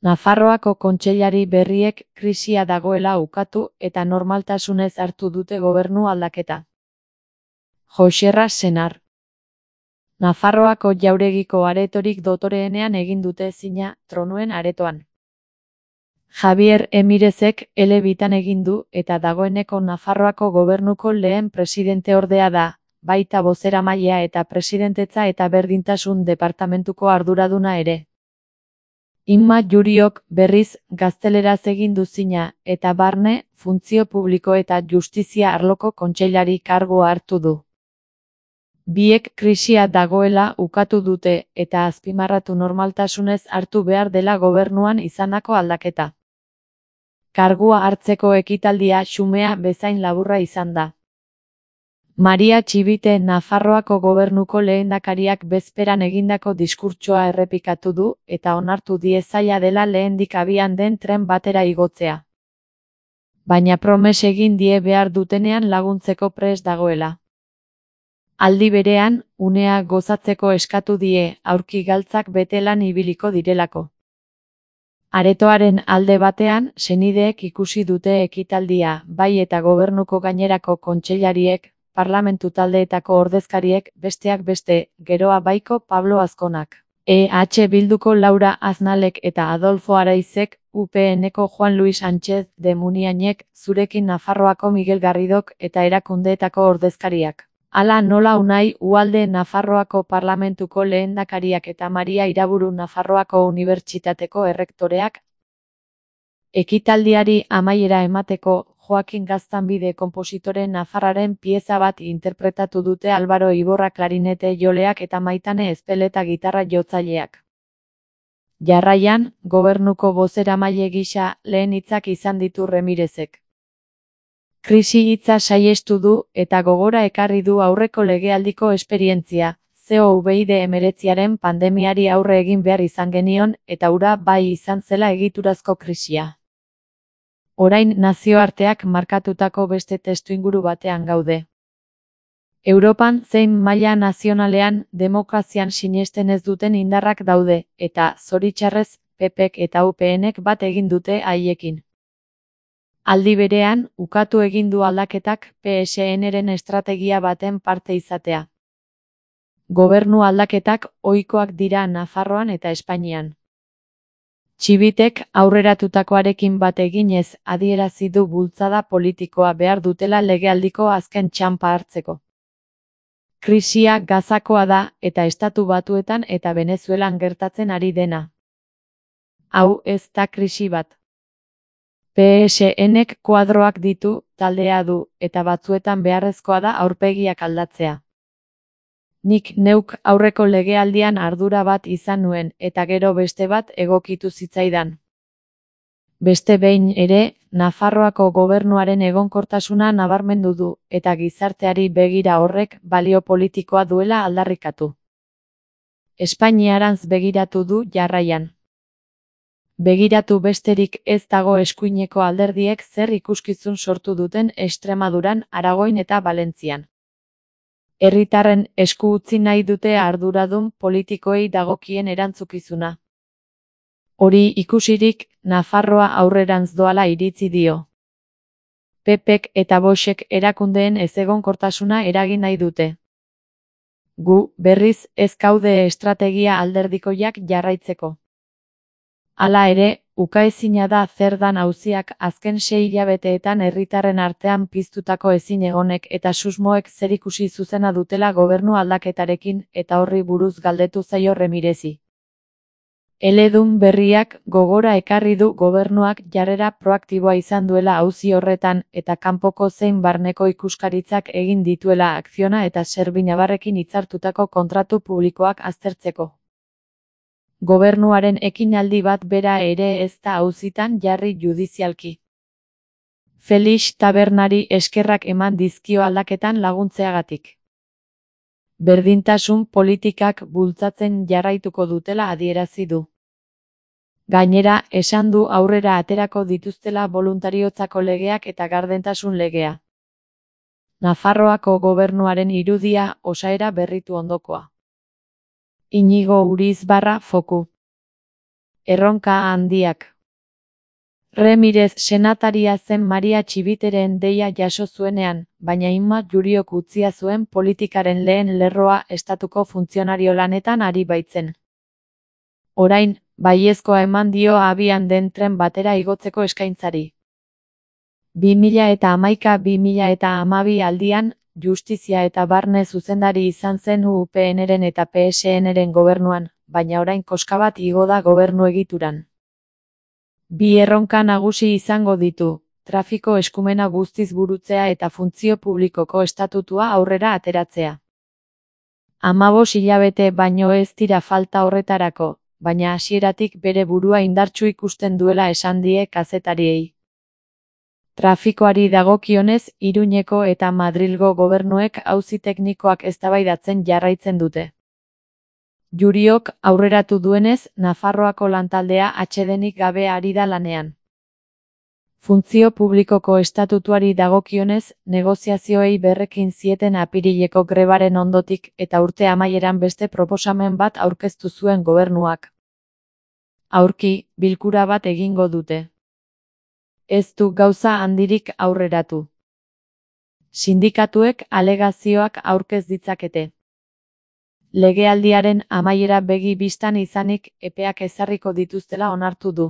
Nafarroako kontseilari berriek krisia dagoela ukatu eta normaltasunez hartu dute gobernu aldaketa. Joxerra Senar. Nafarroako jauregiko aretorik dotoreenean egin dute zina tronuen aretoan. Javier Emirezek elebitan egin du eta dagoeneko Nafarroako gobernuko lehen presidenteordea da, baita bozeramailea eta presidentetza eta berdintasun departamentuko arduraduna ere. Inma Juriok berriz gazteleraz egin du zina eta barne, funtzio publiko eta justizia arloko kontseilari kargua hartu du. Biek krisia dagoela ukatu dute eta azpimarratu normaltasunez hartu behar dela gobernuan izandako aldaketa. Kargua hartzeko ekitaldia xumea bezain laburra izan da. Maria Txibite Nafarroako gobernuko lehendakariak bezperan egindako diskurtsoa errepikatu du eta onartu die zaila dela lehendik abian den tren batera igotzea. Baina promes egin die behar dutenean laguntzeko prest dagoela. Aldi berean, unea gozatzeko eskatu die aurki galtzak betelan ibiliko direlako. Aretoaren alde batean, senideek ikusi dute ekitaldia, bai eta gobernuko gainerako kontseilariek, parlamentu taldeetako ordezkariek, besteak beste, geroa baiko Pablo Azkonak. EH Bilduko Laura Aznalek eta Adolfo Araizek, UPNeko Juan Luis Sánchez de Muniainek, zurekin Nafarroako Miguel Garridok eta erakundeetako ordezkariak. Hala nola Unai Uhalde Nafarroako parlamentuko lehendakariak eta Maria Iraburu Nafarroako unibertsitateko errektoreak. Ekitaldiari amaiera emateko, Joakin Gaztanbide konpositore nafarraren pieza bat interpretatu dute Álvaro Iborra klarinete joleak eta Maitane Ezpeleta gitarra jotzaileak. Jarraian, gobernuko bozeramaile gisa lehen hitzak izan ditu Remirezek. Krisi hitza saihestu du eta gogora ekarri du aurreko legealdiko esperientzia, COVID-19aren pandemiari aurre egin behar izan genion eta hura bai izan zela egiturazko krisia. Orain nazioarteak markatutako beste testuinguru batean gaude. Europan zein maila nazionalean demokrazian sinesten ez duten indarrak daude eta, zoritxarrez, PPek eta UPNek bat egin dute haiekin. Aldi berean, ukatu egin du aldaketak PSN-ren estrategia baten parte izatea. Gobernu aldaketak ohikoak dira Nafarroan eta Espainian. Txibitek aurreratutakoarekin bat eginez adierazi du bultzada politikoa behar dutela legealdiko azken txanpa hartzeko. Krisia Gazakoa da eta Estatu Batuetan eta Venezuelan gertatzen ari dena. Hau ez da krisi bat. PSNek kuadroak ditu, taldea du, eta batzuetan beharrezkoa da aurpegiak aldatzea. Nik neuk aurreko legealdian ardura bat izan nuen eta gero beste bat egokitu zitzaidan. Beste behin ere, Nafarroako gobernuaren egonkortasuna nabarmendu du eta gizarteari begira horrek balio politikoa duela aldarrikatu. Espainiarantz begiratu du jarraian. Begiratu besterik ez dago eskuineko alderdiek zer ikuskizun sortu duten Extremaduran, Aragoin eta Valentzian. Herritarren esku utzi nahi dute arduradun politikoei dagokien erantzukizuna. Hori ikusirik, Nafarroa aurrerantz doala iritzi dio. PPek eta Voxek erakundeen ezegonkortasuna eragin nahi dute. Gu, berriz, ez gaude estrategia alderdikoiak jarraitzeko. Hala ere, ukaezina da zer dan auziak azken 6 hilabeteetan herritarren artean piztutako ezinegonek eta susmoek zerikusi zuzena dutela gobernu aldaketarekin eta horri buruz galdetu zaio Remirezi. Eledun berriak gogora ekarri du gobernuak jarrera proaktiboa izan duela auzi horretan eta kanpoko zein barneko ikuskaritzak egin dituela Akziona eta Serbinabarrekin hitzartutako kontratu publikoak aztertzeko. Gobernuaren ekinaldi bat bera ere ez da auzitan jarri judizialki. Felix Tabernari eskerrak eman dizkio aldaketan laguntzeagatik. Berdintasun politikak bultzatzen jarraituko dutela adierazi du. Gainera, esan du aurrera aterako dituztela boluntariotzako legeak eta gardentasun legea. Nafarroako gobernuaren irudia osaera berritu ondokoa. Iñigo Urizbarra Foku. Erronka handiak. Remirez senataria zen Maria Txibiteren deia jaso zuenean, baina Imma Juriok utzia zuen politikaren lehen lerroa estatuko funtzionario lanetan ari baitzen. Orain, baiezkoa eman dio abian den tren batera igotzeko eskaintzari. 2011-2012 aldian, Justizia eta Barne zuzendari izan zen UPNren eta PSNren gobernuan, baina orain koska bat igo da gobernu egituran. Bi erronka nagusi izango ditu, trafiko eskumena guztiz burutzea eta funtzio publikoko estatutua aurrera ateratzea. 15 hilabete baino ez dira falta horretarako, baina hasieratik bere burua indartsu ikusten duela esan die kazetariei. Trafikoari dagokionez, Iruñeko eta Madrilgo gobernuek auzi teknikoak eztabaidatzen jarraitzen dute. Juriok aurreratu duenez, Nafarroako lantaldea atsedenik gabe ari da lanean. Funtzio publikoko estatutuari dagokionez, negoziazioei berrekin zieten apirileko grebaren ondotik eta urte amaieran beste proposamen bat aurkeztu zuen gobernuak. Aurki, bilkura bat egingo dute. Ez du gauza handirik aurreratu. Sindikatuek alegazioak aurkez ditzakete. Legealdiaren amaiera begi bistan izanik, epeak ezarriko dituztela onartu du.